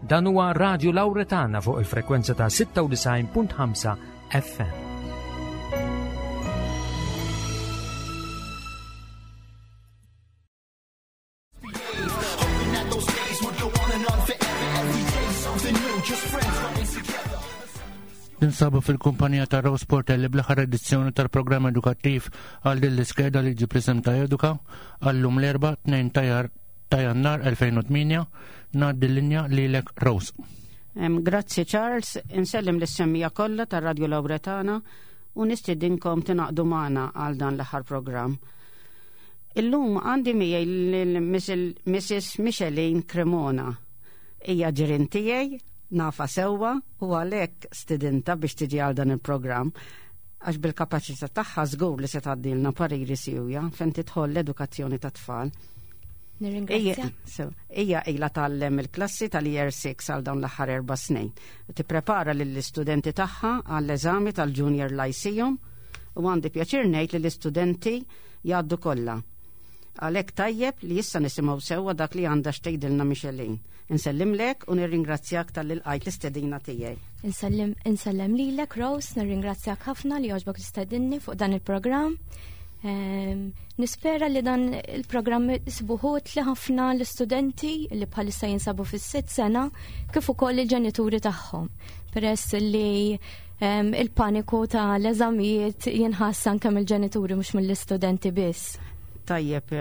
Dan huwa Radio Lauretana fuq il-frekwenza ta' 96.5 FM. Ninsabu fil-kumpanija ta' Rose Portelli bl-aħħar edizzjoni tal-programm edukattiv għal din l-iskeda li ġib l-isem ta' Eduka għallum l-erba' 2 ta' Jannar 2008 ngħaddi l-linja lilek Rose. Grazzi Charles, insellem lis-semmija kollha tar-Radio Lauretana u nistidinkom tingħaqdu magħna għal dan l-aħħar programm. Illum għandi miegħi lil Mrs. Micheline Cremona. Hija ġirien tiegħi, nafa sewwa u għalhekk stidinta biex tiġi għal dan il-programm għax bil-kapaċità tagħha żgur li se tgħaddilna pariri siwja fejn tidħol l-edukazzjoni ta' tfal. Nirringrazzja. Hija ilha tgħallem il-klassi tal-Year 6 għal dawn l-aħħar erba' snin. Tipprepara lill-istudenti tagħha għall-eżami tal-Junior Lyceum u għandi pjaċir ngħid li l-istudenti jgħaddu kollha. Għalhekk tajjeb li issa nisimgħu sewwa dak li għandha x'tgħidilna Micheline. Insellimlek u nirringrazzjak talli lqajt l-istedina tiegħi. Insellem insellem lilek Rose, nirringrazzjak ħafna li għoġbok tistedinni fuq dan il-programm. Nispera li dan il-programm isibuh utli ħafna l-istudenti li bħalissa jinsabu fis-sitt sena kif ukoll il-ġenituri tagħhom. Peress li il-paniku ta' l-eżamijiet jinħass anke mill-ġenituri mhux mill-istudenti biss. Tajjeb,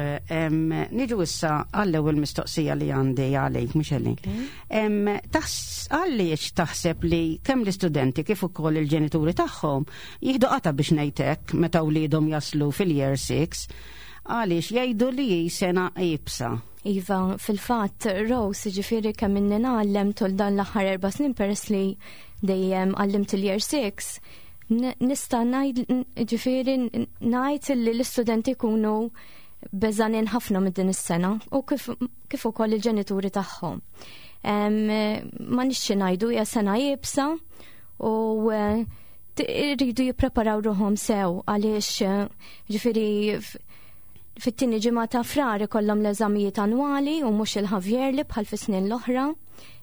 niġu issa għall-ewwel mistoqsija li għandi għalik, Micheline. Għaliex taħseb li kemm l-istudenti kif ukoll il-ġenituri tagħhom jieħdu qata biex ngħidlek meta wliedhom jaslu fil-year 6, għaliex jgħidu li hi sena iebsa? Iva, fil-fatt, Rose, ġifieri kemm inni ngħallem tul dan l-aħħar 4 snin peress li dejjem għallimt il-year 6, nista' ngħid ġifieri ngħid li l-istudenti jkunu beżanin ħafna minn din is-sena u kif ukoll il-ġenituri tagħhom. Ma nixxi ngħidu hija sena iebsa u irridu jippreparaw ruħhom sew għaliex ġifieri fit-tieni ġimgħa ta' Frar ikollhom l-eżamijiet annwali u mhux il-half-yearly bħal fis-snin l-oħra.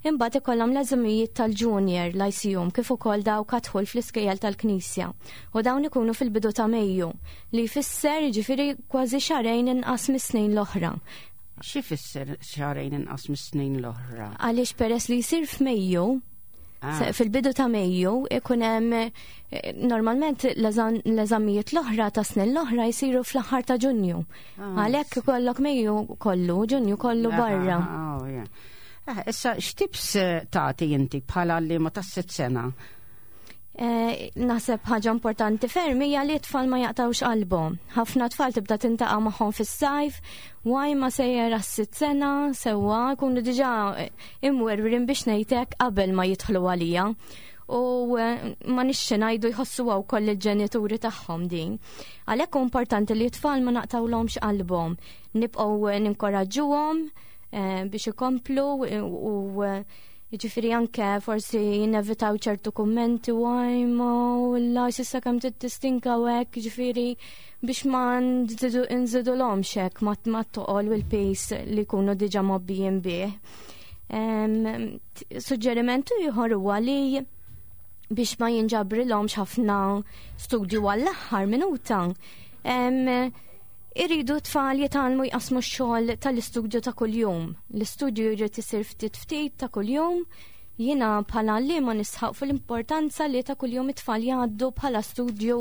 Imbagħad ikollhom l-eżamijiet tal-Junior Lyceum kif ukoll dawk għad-dħul fl-iskejjel tal-Knisja. U dawn ikunu fil-bidu ta' Mejju li jfisser ġifieri kważi xahrejn inqas mis-snin l-oħra. Xi fisser xahrejn inqas mis-snin l-oħra? Għaliex peress li jsir f'Mejju, fil-bidu ta' Mejju ikun hemm normalment l-eżamijiet l-oħra ta' snin l-oħra jsiru fl-aħħar ta' Ġunju. Għalhekk ikollok Mejju kollu, Ġunju kollu barra. Oh, yeah. Issa, x'tips tagħti inti bħala għalliema tas-sitt sena? Naħseb ħaġa importanti ferm hija li t-tfal ma jaqtawx qalbhom. Ħafna tfal tibda tintaqa' magħhom fis-sajf, waj ma sejjer għas-sitt sena, sewwa jkunu diġà imwerwrin biex ngħidlek qabel ma jidħlu għalija. U ma nixxi ngħidu jħossuha wkoll il-ġenituri tagħhom din. Għalhekk hu importanti li t-tfal ma naqtawlhomx qalbhom, nibqgħu ninkoraġġuhom biex ikomplu u ġifieri anke forsi jinevitaw ċertu kummenti u għajma u la s'issa kemm tistinka u hekk, ġifieri biex ma nżidulhomx hekk ma toqol u l-pis li jkunu diġà mgħobbijin bih. Suġġerimentu ieħor huwa li biex ma jinġabrilhomx ħafna studju għall-aħħar minuta, iridu tfal jitgħallmu jqasmu x-xogħol tal-istudju ta' kuljum. L-istudju jrid isir ftit ftit ta' kuljum. Jiena bħala għalliema nisħaq fuq l-importanza li ta' kuljum it-tfal jgħaddu bħala studju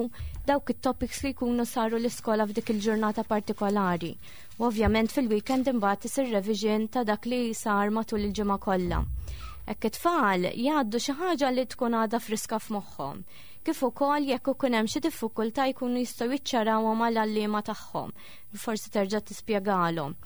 dawk it-topics li jkunu saru l-iskola f'dik il-ġurnata partikolari. U ovvjament fil-weekend imbagħad isir revision ta' dak li sar matul il-ġimgħa kollha. Hekk it-tfal jgħaddu xi ħaġa li tkun għadha friska f'moħħhom. Kif ukoll jekk ikun hemm xi diffikultà jkunu jistgħu jiċċarawhom mal-għalliema tagħhom. Forsi terġa' tispjegalhom.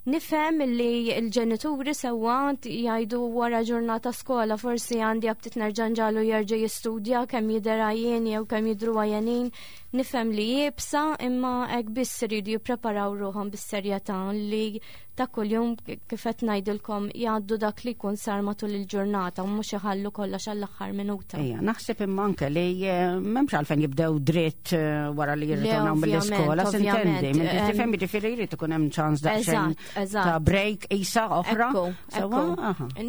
Nifhem li l-ġenituri sewwa jgħidu wara ġurnata skola forsi għandi aptit nerġa' nġagħlu jerġa' jistudja kemm jidher għajjen jew kemm jidhru għajjenin. Nifhem li iebsa imma hekk biss iridu jippreparaw ruħhom bis-serjetà li ta' kuljum kif qed ngħidilkom jgħaddu dak li jkun sar matul il-ġurnata u mhux iħallu kollox għall-aħħar minuta. Ejja, naħseb imma anke li eh, m'hemmx għalfejn jibdew dritt eh, wara li jirritornaw mill-iskola, s'intendi, minn tifhem jiġifieri jrid ikun hemm ċans daqsxejn ta' break isa oħra.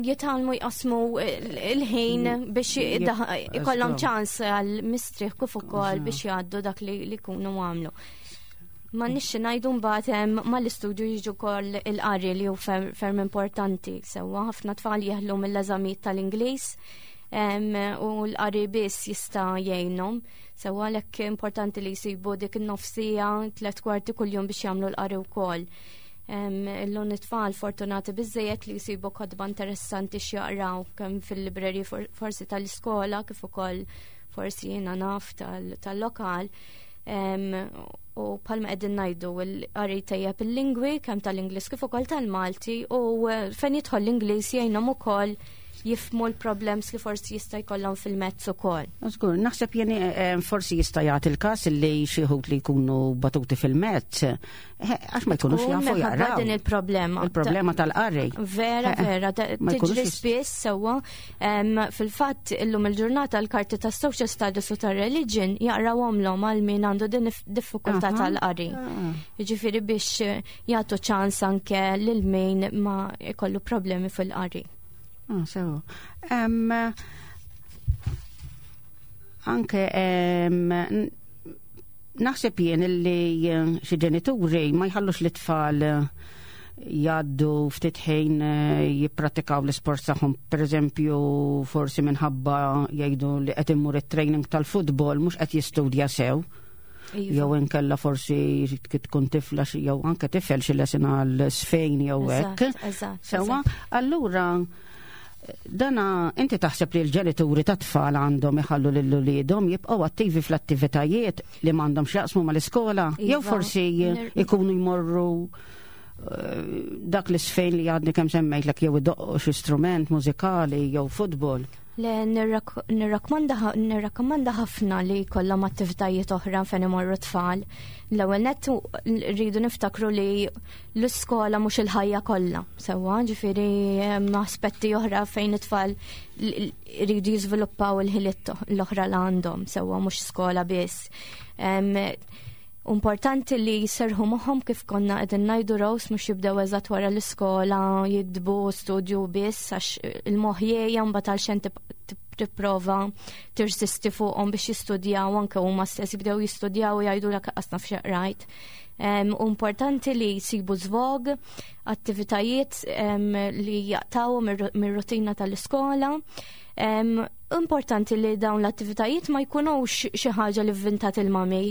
Jitgħallmu jqasmu il-ħin mm. biex ikollhom ċans għal mistrieħ kif ukoll biex jgħaddu dak li jkunu għamlu. Ma nixxi ngħidu mbagħad mal-istudju jiġu wkoll il-qari li hu ferm importanti. Sewwa ħafna tfal jeħlu mill-eżamijiet tal-Ingliż u l-qari biss jista' jgħinhom. Sewwa għalhekk importanti li jsibu dik in-nofsija 3/4 kuljum biex jagħmlu l-qari wkoll. Illum it-tfal fortunati biżejjed li jsibu kotba interessanti x'jaqraw kemm fil-libreri forsi tal-iskola kif ukoll forsi jiena naf tal-lokal. U palma qegħdin ngħidu l-qari tejjeb il-lingwi kemm tal-Ingliż kif ukoll tal-Malti u eh, fejn jidħol l-Ingliż jgħinhom ukoll jifmu l-problems li forsi jista' jkollhom fil-mezz ukoll. Żgur, naħseb jien eh, forsi jista' jagħti il-każ li xi li jkunu batuti fil-mezz eh, għax ma jkunux jafu jaqraw. Din il-problema. Il-problema tal-qari. Vera, eh, vera, tiġri spiss sewwa. Fil-fatt illum il-ġurnata l-karti tas social studies u tar-religion jaqrawhomlhom għal min għandu din diffikultà tal-qari. Ah. Jiġifieri biex jagħtu ċans anke lil min ma jkollu problemi fil-qari. Ah, sewa. Anke naħseb jien illi eh, xi ġenituri ma jħallux l-itfal eh, jgħaddu ftit ħin eh, jippratikaw l-isport tagħhom, pereżempju forsi minħabba jgħidu li qed immur it-training tal-futbol mhux qed jistudja sew. Iva. Jew inkella forsi tkun tifla jew anke tifel xi lesin għal sfejn jew hekk. Sewwa, allura dana inti taħseb li l-ġenituri ta' tfal għandhom iħallu lil uliedhom jibqgħu attivi fl-attivitajiet li m'għandhom x'jaqsmu mal-iskola jew iva. forsi ikunu jmorru eh, dak l-isfejn li għadni kemm semmejtlek jew idoqqu xi strument mużikali jew futbol. Le, nirrakkomanda ħafna li jkollhom attivitajiet oħra fejn imorru tfal. L-ewwel nett rridu niftakru li l-iskola mhux il-ħajja kollha. Sewwa, ġifieri hemm aspetti oħra fejn it-tfal rridu jiżviluppaw il-ħiliet l-oħra li għandhom, sewwa mhux skola biss. Importanti li jserħu moħħhom kif konna qegħdin ngħidu Rose mhux jibdew eżatt wara l-iskola jiktbu studju biss għax il-moħħ jgħja mbagħad għal xejn tipprova tirsisti fuqhom biex jistudjaw anke huma stess jibdew jistudjaw u jgħidulek qas naf x'qrajt. Importanti li jsibu żvog, attivitajiet li jaqtgħu mir-rutina tal-iskola. Importanti li dawn l-attivitajiet ma jkunux xi ħaġa li vvintat il-mami.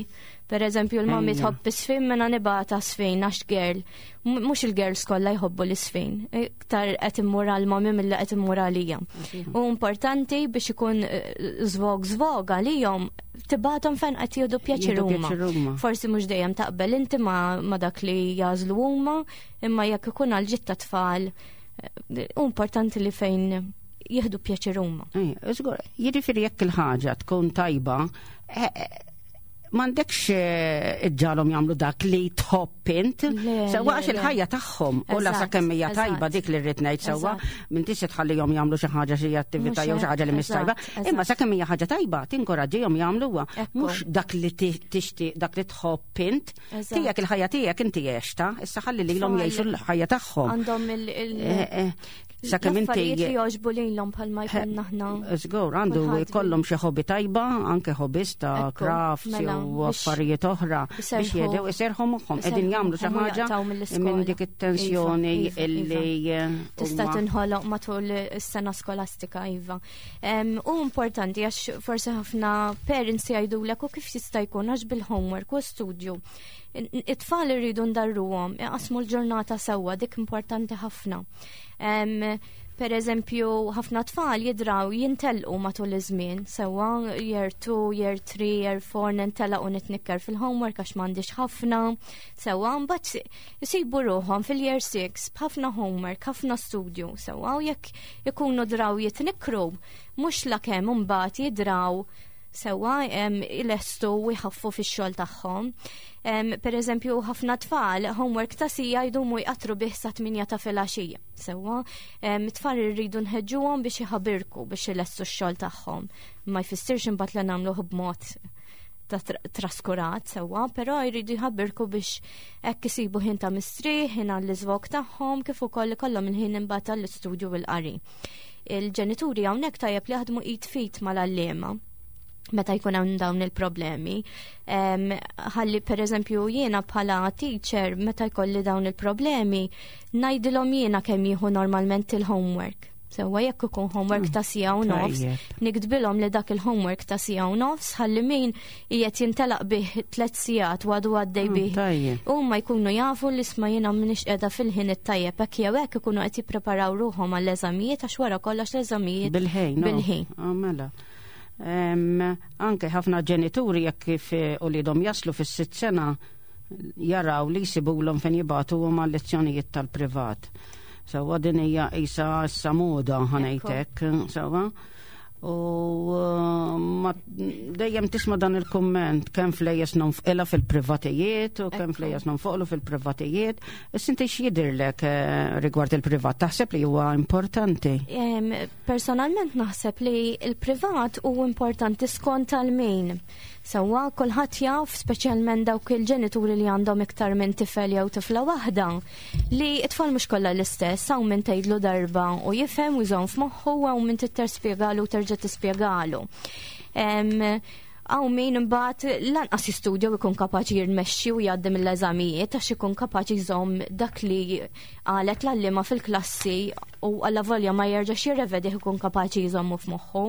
Per eżempju, l-mami tħobb isfin mena nibata sfin għax girl. Mhux il-girls kollha jħobbu l-isfin. Iktar qed immur għal-mami milli qed immur għalija. U importanti biex ikun żvog eh, żvog għalihom tibatom fejn qed jieħdu pjaċir huma. Forsi mhux dejjem taqbel inti ma, ma dak li jażlu huma, imma jekk ikun għal ġitta tfal, eh, importanti li fejn jieħdu pjaċir huma. Żgur, jiġifieri jekk il-ħaġa tkun tajba, eh, eh, m'għandekx eh, iġġalhom jagħmlu dak li tħobb int. Sewwa għax il-ħajja tagħhom u la sakemm hija tajba dik li rrid ngħid sewwa m'intix se tħallihom jagħmlu xi ħaġa xi attività jew xi ħaġa li mhix tajba. Imma sakemm hija ħaġa tajba tinkoraġġihom jagħmluha mhux dak li tixtieq dak li tħobb int. Tiegħek il-ħajja tiegħek inti għexta, issa ħalli lilhom jgħixu l-ħajja tagħhom. Għandhom il- Sakemm inti li jogħġbu lilhom bħalma jkun aħna. Żgur, għandu jkollhom xi hobby tajba, anke hobbies ta' crafts mela, jew affarijiet oħra biex jedew iserħu moħħhom qegħdin jagħmlu xi ħaġa minn dik it-tensjoni iva, iva, illi iva. Eh, tista' tinħoloq matul is-sena skolastika iva. U importanti għax forsi ħafna parents jgħidulek u kif jista' jkun għax bil-homework u studju. It-tfal irridu ndarruhom, iqasmu l-ġurnata sewwa dik importanti ħafna. Per eżempju, ħafna tfal jidraw jintelqu matul iż-żmien, sewwa year 2, year 3, year 4 nintelaq u nitnikker fil-homework għax m'għandix ħafna, sewwa mbagħad isibu ruħhom fil-year 6 b'ħafna homework, ħafna studju, sewwa u jekk ikunu draw jitnikkru, mhux lakemm imbagħad jidraw. Sewwa ilestu u jħaffu fix-xogħol tagħhom. Per eżempju, ħafna tfal homework ta' sija jdumu jqattru bih sa 8 ta' filgħaxija. Sewwa, tfal irridu nħeġġuhom biex iħabirku biex ilestu x-xogħol tagħhom. Ma jfissirx imbagħad li nagħmluh b'mod ta' traskurat sewwa, però jridu jħabbirku biex hekk isibu ħin ta' mistrieħ, ħin għall-iżvog tagħhom, kif ukoll ikollhom il-ħin imbagħad għall-istudju u l-qari. Il-ġenituri hawnhekk tajjeb li jaħdmu id fit mal-għalliema meta jkun hemm dawn il-problemi. Ħalli per eżempju jiena bħala teacher meta jkolli dawn il-problemi ngħidilhom jiena kemm jieħu normalment il-homework. Sewwa jekk ikun homework ta' sija u nofs, niktbilhom li dak il-homework ta' sija u nofs ħalli min qiegħed jintelaq bih tliet sigħat u għadu għaddej bih. Huma jkunu jafu li isma' jiena m'iniex qiegħda fil-ħin it-tajjeb hekk jew hekk ikunu qed jippreparaw ruħhom għall-eżamijiet għax wara kollox l-eżamijiet bil-ħin. Bil-ħin. Ah, mela. Anke ħafna ġenituri jekk kif eh, uliedhom jaslu fis-sitt sena jaraw li jsibulhom fejn jibagħtuhom għal lezzjonijiet tal-privat. Sewwa din hija qisha issa moda ħanejtek, sewwa. U eh, ma dejjem tisma' dan il-kumment kemm flejjes nonfqilha fil-privatijiet u kemm flejjes nonfoqlu fil-privatijiet. Issa inti x'jidhirlek eh, rigward il-privat? Taħseb li huwa importanti? Personalment naħseb li il-privat hu importanti skont tal-min. Sewwa kulħadd jaf, speċjalment dawk il-ġenituri li għandhom iktar minn tifel jew tifla waħda, li t-tfal mhux kollha l-istess, hawn min tgħidlu darba u jifhem u jżomm f'moħħu u hawn min trid spjegalu u terġa' tispjegalu. Hawn min imbagħad lanqas jistudja u jkun kapaċi jirnexxi u jgħaddi mill-eżamijiet għax ikun kapaċi jżomm dak li qalet l-għalliema fil-klassi u allavolja ma jerġax jirrevedih ikun kapaċi jżommu f'moħħu.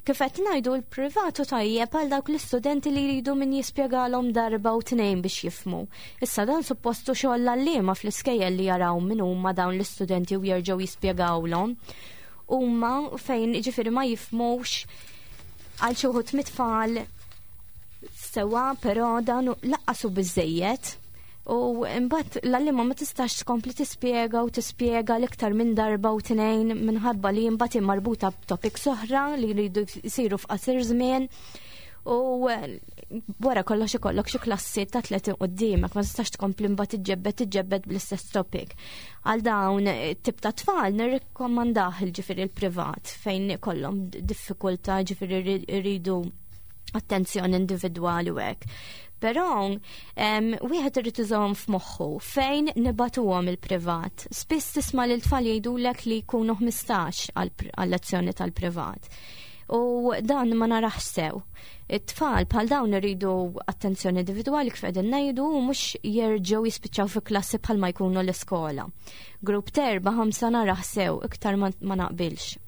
Kif qed ngħidu l-privatu tajjeb għal dawk l-istudenti li jridu min jispjegalhom darba u tnejn biex jifhmu. Issa dan suppostu xogħol l-għalliema fl-iskejjel li jaraw min huma dawn l-istudenti u jerġgħu jispjegawlhom. Huma fejn jiġifieri ma jifhmux għal xi wħud mit-tfal sewa, però dan laqqasu biżejjed. U imbagħad l-għalliema ma tistax tkompli tispjega u tispjega l-iktar minn darba u tnejn minħabba li imbagħad marbuta b'topics oħra li jridu jsiru f'qasir żmien. U wara kollox ikollok xi klassi ta' 30 quddiemek, ma tistax tkompli mbagħad iġġebbed iġġebbed bl-istess topic. Għal dawn tip ta' tfal nirrikkomandah il-ġifieri l-privat fejn ikollhom diffikultà ġifieri jridu attenzjoni individwali u hekk. Però wieħed irid iżomm f'moħħu fejn nibatuhom il-privat. Spiss tisma' lil tfal jgħidulek li jkunu 15 għal-lezzjoni tal-privat. U dan ma narax sew. It-tfal bħal dawn iridu attenzjoni individwali kif qegħdin ngħidu u mhux jerġgħu jispiċċaw fi klassi bħal ma jkunu l-iskola. Grupp terba' ħamsa narax sew iktar ma naqbilx.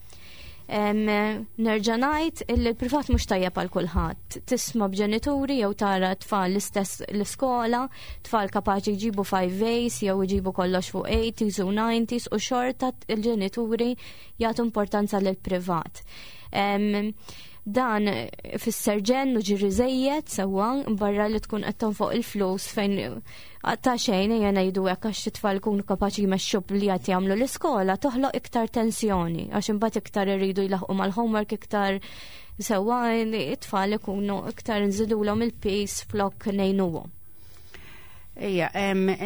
Nerġa' ngħid illi l-privat mhux tajjeb għal kulħadd. Tisma' b'ġenituri jew tara tfal l-istess l-iskola, tfal kapaċi jġibu 5 A's jew jġibu kollox fuq 80s u 90s u xorta il-ġenituri jagħtu importanza lill-privat. Dan fisser ġenn u ġiri żejjed sewwa barra li tkun qed tonfoq il-flus fejn ta' xejn ejja ngħidu hekk għax it-tfal ikunu kapaċi jmexxu li qed jagħmlu l-iskola toħloq iktar tensjoni għax imbagħad iktar iridu jlaħqu mal-homework iktar sewwa it-tfal ikunu iktar nżidulhom il-peace flok ngħinuhom. Ejja,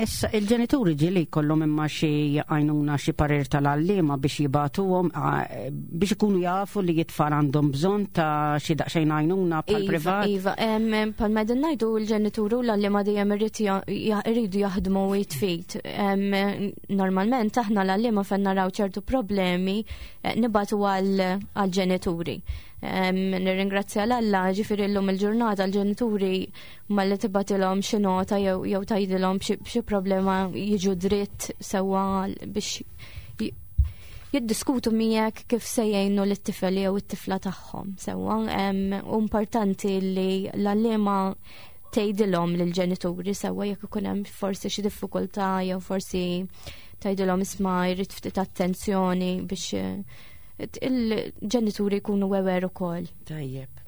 issa il-ġenituri ġieli jkollhom imma xi għajnuna xi parir tal-għalliema biex jibagħtuhom biex ikunu jafu li t-tfal għandhom bżonn ta' xi daqsxejn għajnuna bħal Iva, privat. Iva, bħal ma qegħdin ngħidu l-ġenituri u l-għalliema dejjem iridu jaħdmu jitfit. Normalment aħna l-għalliema fejn naraw ċertu problemi nibagħtu għall-ġenituri. Nirringrazzja l-Alla, ġifieri llum il-ġurnata l-ġenituri malli tibgħatilhom xi nota jew tgħidilhom b'xi problema jiġu dritt sewwa biex jiddiskutu miegħek kif se jgħinu lit-tifel jew it-tifla tagħhom sewwa. U importanti li l-għalliema tgħidilhom lill-ġenituri sewwa jekk ikun hemm forsi xi diffikultà jew forsi tgħidilhom isma' jrid ftit attenzjoni biex il-ġenituri jkunu aware ukoll. Tajjeb.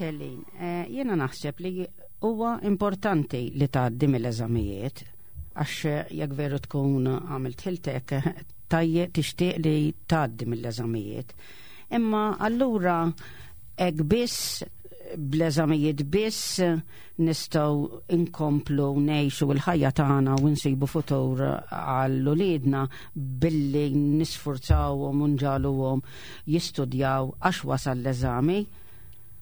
Celine, eh, jiena naħseb li huwa importanti li tgħaddi mill-eżamijiet għax jekk veru tkun għamilt ħiltek tajje tixtieq li tgħaddi mill-eżamijiet. Imma allura hekk biss bl-eżamijiet biss nistgħu inkomplu ngħixu l-ħajja tagħna u nsibu futur għal uliedna billi nisfurzawhom u nġagħluhom jistudjaw għax wasal l-eżami.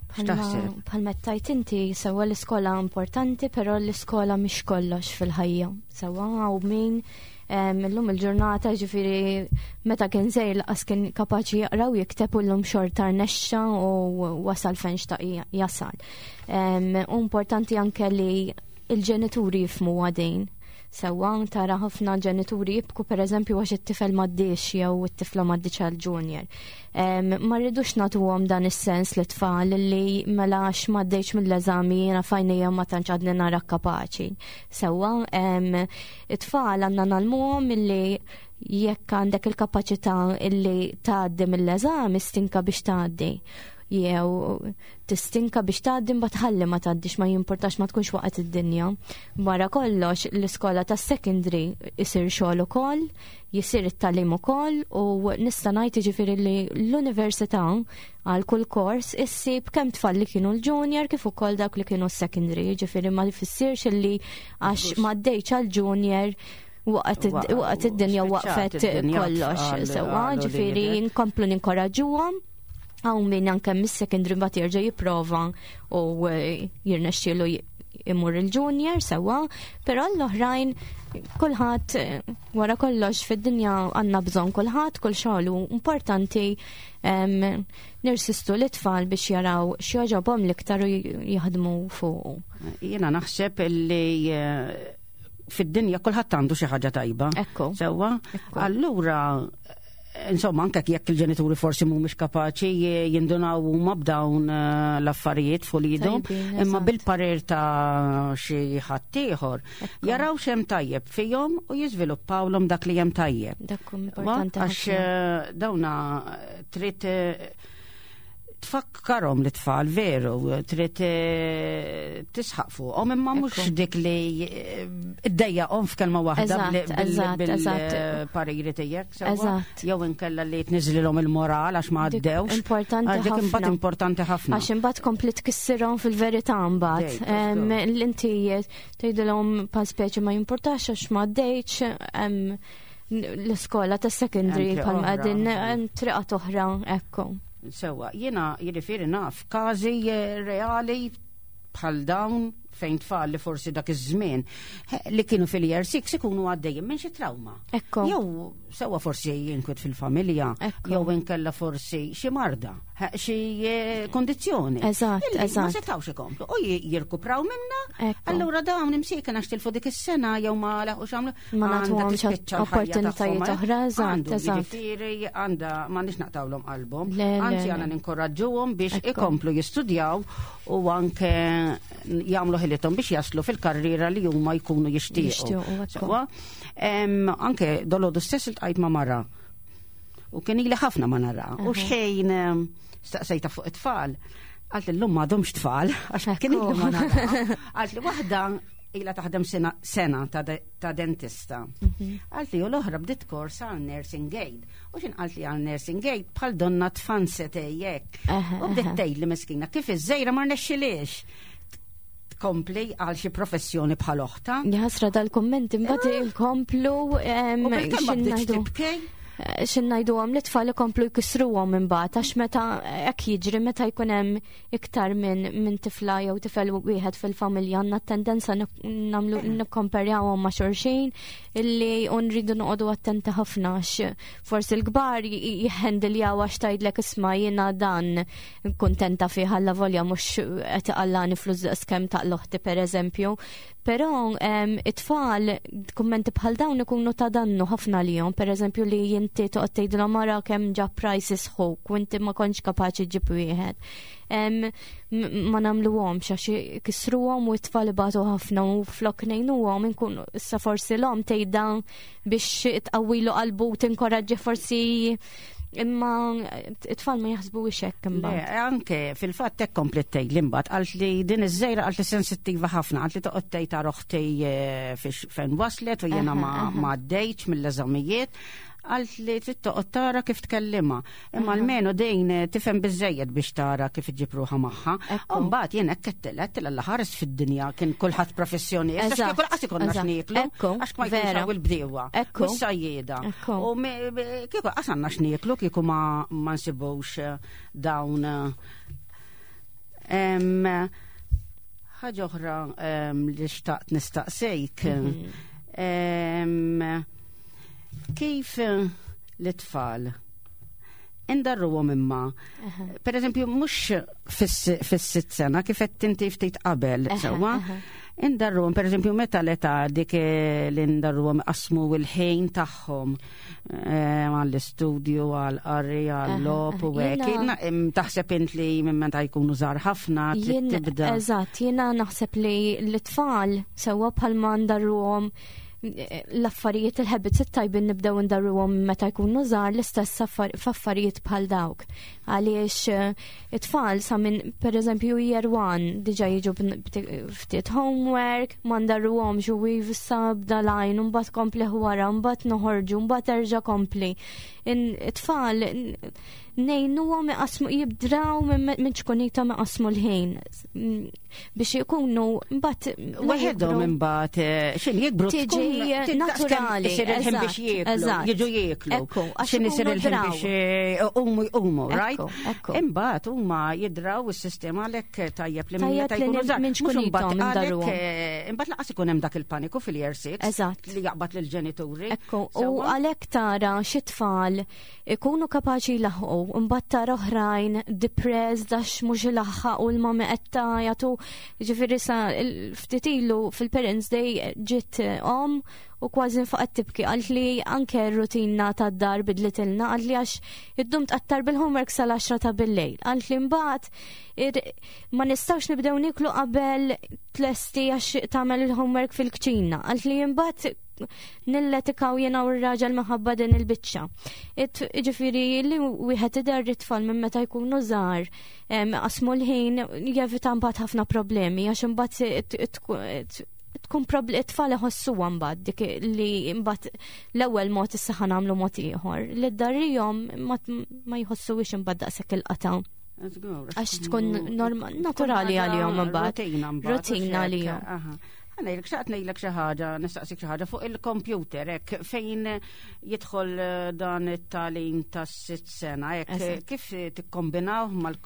X'taħseb? Bħalma tajt inti sewwa l-iskola importanti, però l-iskola mhix kollox fil-ħajja. Sewwa hawn min illum il-ġurnata ġifieri meta kien żgħir laqas kien kapaċi jaqra u jikteb u llum xorta rnexxa u wasal fejn xtaq jasal. U importanti anke li il-ġenituri jifhmu għadin. Sewwa tara ħafna ġenituri jibku pereżempju għax it-tifel m'għaddiex jew it-tifla m'għaddietx għal junior. Ma rridux nagħtuhom dan is-sens li tfal li mela għax m'għaddejx mill-eżami jiena f'għajnejja ma tantx għadni nara kapaċi. Sewwa it-tfal għandna ngħallmuhom illi jekk għandek il-kapaċità illi tgħaddi mill-eżami stinka biex tgħaddi jew tistinka biex tgħaddi mbagħad ħalli ma tgħaddix ma jimportax ma tkunx waqgħet id-dinja. Wara kollox l-iskola tas-secondary isir xogħol ukoll, jisir it-tagħlim ukoll u nista' ngħid jiġifieri li l-università għal kull kors issib kemm tfal li kienu l-junior kif ukoll dawk li kienu s-secondary, jiġifieri ma jfissirx li għax ma għaddejtx għal-junior waqgħet id-dinja waqfet kollox. Sewwa, ġifieri nkomplu ninkoraġġuhom hawn min anke mis-secondary mbagħad jerġa' jipprova u jirnexxielu imur il-junior sewwa, però l-oħrajn kulħadd wara kollox fid-dinja għandna bżonn kulħadd, kull xogħol hu importanti nirsistu l-tfal biex jaraw x'jogħġobhom l-iktar u jaħdmu fuqu. Jiena naħseb li fid-dinja kulħadd għandu xi ħaġa tajba. Ekku. Sewwa. Allura insomma, anke jekk il-ġenituri forsi mhumiex kapaċi jindunaw huma b'dawn l-affarijiet fuq idhom, imma bil-parir ta' xi ħadd ieħor jaraw x'hemm tajjeb fihom u jiżviluppawlhom dak li hemm tajjeb. Dak importanti. Għax dawna trid tfakkarhom l-tfal veru, trid tisħaq fuqhom imma mhux dik li iddejjaqhom f'kelma waħda bil-pariri tiegħek sewwa. Jew inkella li tniżlilhom il-moral għax ma għaddewx. Importanti ħafna. Imbagħad importanti ħafna. Għax imbagħad kompli tkissirhom fil-verità mbagħad. L-inti tgħidilhom pa speċi ma jimportax għax ma għaddejtx l-iskola ta' secondary bħal qegħdin triqat oħra ekku. Sewwa, jiena jiġifieri naf każi reali bħal dawn fejn tfal li forsi dak iż-żmien li kienu fil-year 6 ikunu għaddejjin minn xi trauma. Ekku. Jew sewwa forsi jinkwiet fil-familja, jew inkella forsi xi marda, xi kondizzjoni. Eżatt, eżatt. Ma setgħux ikomplu u jirkupraw minna. Allura dawn imsieken għax tilfu dik is-sena jew ma laħqux għamlu. Ma nagħtuhomx opportunitajiet oħra, eżatt, eżatt. Jiġifieri għandha m'għandniex naqtawlhom qalbhom. Anzi għandna ninkoraġġuhom biex ikomplu jistudjaw u anke jagħmlu ħilithom biex jaslu fil-karriera li huma jkunu jixtiequ. Anke dolodu stess iltqajt ma' mara. U kien ili ħafna ma nara. U xejn staqsejta fuq it-tfal. Għalt l-lum m'għadhomx tfal, għax kien ili ma nara. Għalt li waħda ila taħdem sena ta' dentista. Għalt li u l-oħra bdiet kors għal nursing aid. U xin għalt li għal nursing aid bħal donna tfanset ejjek. U bdiet tgħid li miskina kif iż-żejra ma rnexxilix tkompli għal xi professjoni bħal oħta. Jaħasra dal-kommenti mbagħad inkomplu U bil-kelma bdiet tibki. X'ngħidu għam li tfal ikomplu jkissruhom imbagħad għax meta hekk jiġri meta jkun hemm iktar minn tifla jew tifel wieħed fil-familja għandna tendenza nagħmlu nikkomparjawhom ma' xulxin illi nridu noqogħdu attenti ħafna għax forsi l-kbar jihhendiljaw għax tgħidlek isma' jiena dan kuntenta fih alla volja mhux qed iqallani flus daqskemm taqloħti pereżempju. Però it-tfal kummenti bħal dawn ikunu ta' dannu ħafna lihom, pereżempju li inti toqgħod tgħidilhom ara kemm ġab prices ħuk u inti ma kontx kapaċi ġib wieħed. Ma nagħmluhomx għax kisruhom u t-tfal ibatu ħafna u flok ngħinuhom inkun issa forsi l-omm tgħidha biex tqawwilu qalbu u tinkoraġġi forsi Imma it-tfal ma jaħsbu hekk imbagħad. Anke fil-fatt hekk komplet tgħid li mbagħad qalt li din iż-żejra qalt li sensittiva ħafna, qalt li toqgħod tgħid ta' oħti eh, fejn waslet u jiena ma għaddejtx mill-eżamijiet għalt li trid toqgħod tara kif tkellimha. Imma almenu din eh, tifhem biżejjed biex tara kif iġib ruħha magħha. U mbagħad jien hekk qedtilha qedtilha l ħares fid-dinja kien kulħadd professjonist. Għax kieku laqas ikollna x'nieklu, għax ma jkunx hawn il-bdiewa. U s-sajjieda. U kieku laqas għandna x'nieklu kieku ma nsibux eh, dawn eh, ħaġa oħra li xtaqt nistaqsejk. Mhm. Kif eh, l-tfal indarruhom imma. Per eżempju, mhux fis-sitt sena kif qed inti ftit qabel, sewwa. Indarruhom, per eżempju, meta l-età dik eh, li ndarruhom qasmu l-ħin tagħhom eh, għall-istudju, għall-qari, għall-logħob u hekk. Taħseb int li minn meta jkunu żgħar ħafna trid tibda. Eżatt, jiena naħseb li l-tfal sewwa bħalma ndarruhom l-affarijiet il-habits it-tajbin nibdew ndarruhom meta jkunu żgħar l-istess f'affarijiet bħal dawk. Għaliex eh, it-tfal sa minn pereżempju year one diġà jiġu ftit homework, ma ndarruhomx u issa bda lajn, mbagħad kompli wara, mbagħad noħorġu, mbagħad erġa' kompli. It-tfal ngħinuhom iqasmu jibdraw minn ċkunithom iqasmu l-ħin biex ikunu mbagħad waħedhom imbagħad eh, x'in jikbru tiġi naturali isir il-ħin biex jieklu jiġu jieklu x'in isir il-ħin biex eh, umu jqumu right imbagħad huma jidraw is-sistema għalhekk tajjeb li minn meta jkunu żgħar mhux imbagħad għalhekk eh, imbagħad laqas ikun hemm dak il-paniku fil-year 6 li jaqbad lill-ġenituri. Ekku, u għalhekk tara xi tfal ikunu kapaċi jlaħħqu, imbagħad tara oħrajn depressed għax mhux ilaħħaq u l-mami qed tagħjatu. Ġifieri sa ftit ilu fil-Parents Day ġiet om u kważi nfaqgħet tibki qalt li anke r-rutina tad-dar bidlitilna qalt li għax iddum tqattar bil-homework sal-10 ta' bil-lejl. Qalt li mbagħad ma nistgħux nibdew niklu qabel tlesti għax tagħmel il-homework fil-kċina. Qalt li mbagħad nilletikaw jena u r-raġel minħabba din il-biċċa. Ġifieri li wieħed iderri tfal minn meta jkunu żgħar qasmu l-ħin jevita mbagħad ħafna problemi għax imbagħad tkun it-tfal iħossuha mbagħad dik li mbagħad l-ewwel mod issa ħa nagħmlu mod ieħor. Li ddarrihom ma jħossuwix imbagħad daqshekk il-qata'. Għax tkun naturali għalihom imbagħad. Rutina għalihom. Ngħidlek xaqt ngħidlek xi ħaġa, nistaqsik xi ħaġa fuq il-kompjuter hekk fejn jidħol eh, dan it-tagħlim tas-sitt sena hekk kif tikkombinaw mal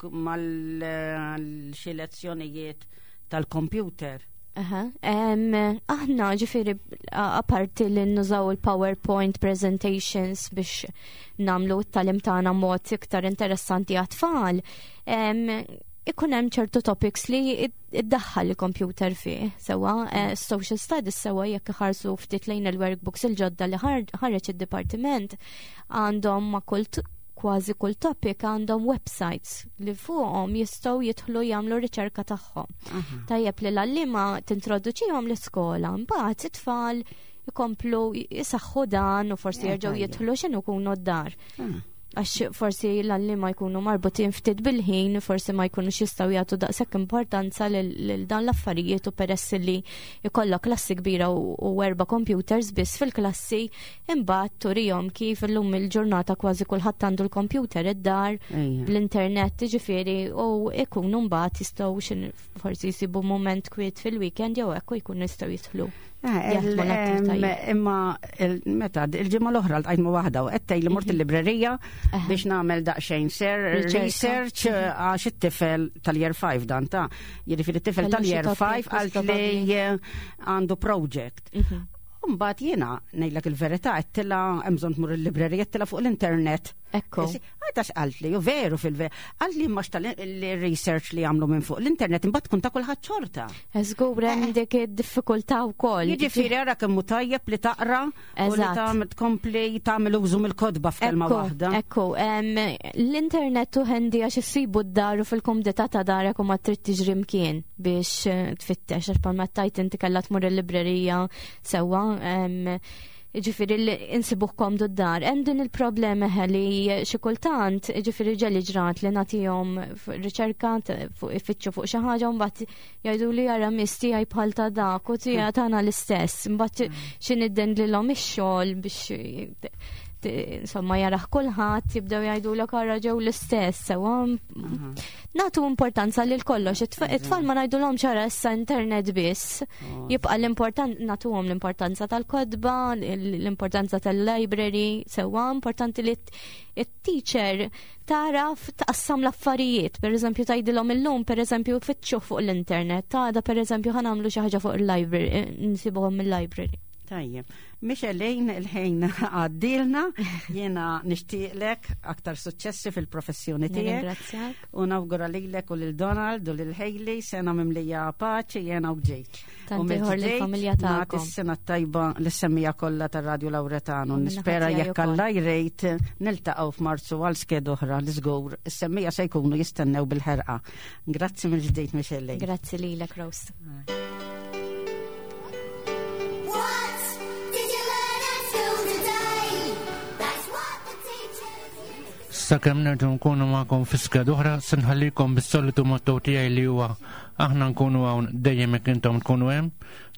eh, xi lezzjonijiet tal-kompjuter? Aħna ġifiri apparti li nużaw il-PowerPoint presentations biex namlu t-talim tagħna mod iktar interessanti għat-tfal, ikun hemm ċertu topics li iddaħħal il-computer fih, sewa eh, social studies sewa jekk iħarsu ftit lejn il-workbooks il-ġodda li ħareġ id-dipartiment għandhom ma' kull kważi kull topic għandhom websites li fuqhom jistgħu jidħlu jagħmlu riċerka tagħhom. Tajjeb li l-għallima tintroduċihom l-iskola, mbagħad it-tfal ikomplu jisaħħu dan u forsi eh, jerġgħu jidħlu x'inhu kunu d-dar. Ah. Għax forsi l-għalliema jkunu marbutin ftit bil-ħin, forsi ma jkunux jistgħu jagħtu daqshekk importanza lil dawn l-affarijiet u peress li jkollok klassi kbira u erba' computers biss fil-klassi, imbagħad turihom kif illum il-ġurnata kważi kulħadd għandu l-computer id-dar bl-internet, jiġifieri u jkunu mbagħad jistgħu forsi jsibu mument kwiet fil-weekend jew hekk u jkunu jistgħu jidħlu. Eh, imma meta il-ġimgħa l-oħra ltqajt ma' waħda u qed li mort mhm. il-librerija biex nagħmel daqsxejn ser research eh, għax it-tifel tal-year 5 dan ta' jiġifieri it-tifel tal-year 5 għalt li eh, għandu project. Mhm. Mbagħad jiena ngħidlek il-verità qedtilha hemm bżonn tmur il-librerija qedtilha fuq l-internet. Ekku. Għada x'qalt li, u veru fil-ver, qalt li mhux tal-research li għamlu minn fuq l-internet imbagħad tkun ta' kulħadd xorta. Żgur hemm eh. dik id-diffikultà wkoll. Jiġifieri ara kemm hu tajjeb li taqra u li tagħmel tkompli tagħmel użu mill-kotba f'kelma waħda. Ekku, l-internet u ħendi għax issibu d-dar u fil-kumdità ta' darek u ma trid tiġri mkien biex eh, tfittex għax palma tajt inti kellha tmur il-librerija sewwa. Ġifieri li insibuh komdu d-dar. Hemm din il-problema li xi kultant, ġifieri ġeli ġrat li nagħtihom riċerka fuq ifittxu fuq xi ħaġa u mbagħad jgħidu li jara miss tiegħi bħal ta' dak u tiegħi tagħna l-istess. Mbagħad xi niddendlilhom ix-xogħol biex insomma jaraħ kulħadd jibdew jgħidulek ara ġew l-istess sewa. Nagħtu importanza lil kollox, it-tfal ma ngħidulhomx ċara issa internet biss. Oh. Jibqa' l-important nagħtuhom l-importanza tal-kotba, l-importanza tal-library, sewwa importanti li it-teacher taraf taqassam l-affarijiet, per eżempju tgħidilhom illum, per eżempju fitxu fuq l-internet, għada per eżempju ħanamlu xi ħaġa fuq il-library, nsibuhom mill-library. Tajjeb. Michelin il-ħin għaddilna, jiena nixtieqlek aktar suċċessi fil-professjoni tiegħek. U nawgura lilek u lil Donald u lil Hailey sena mimlija paċi jiena u ġejt. U mill-familja tagħkom. Is-sena tajba l-semmija kollha tar-Radju Lawretanu. Nispera jekk Alla jrejt niltaqgħu f'Marzu għal sked oħra li żgur is-semmija se jkunu jistennew bil-ħerqa. Grazzi mill-ġdid Michelin. Grazzi lilek Rose. Sakemm nerġgħu nkunu magħkom fi skeda oħra, se nħallikom bis-solitu motto tiegħi li huwa aħna nkunu hawn dejjem jekk intom tkunu hemm.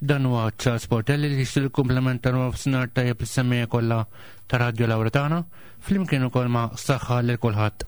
Dan huwa Charles Portelli li jixtieq il-kumpliment ta' nofsinhar tajjeb is-semmija kollha ta' Radio Lauretana, flimkien ukoll ma' saħħa lil kulħadd.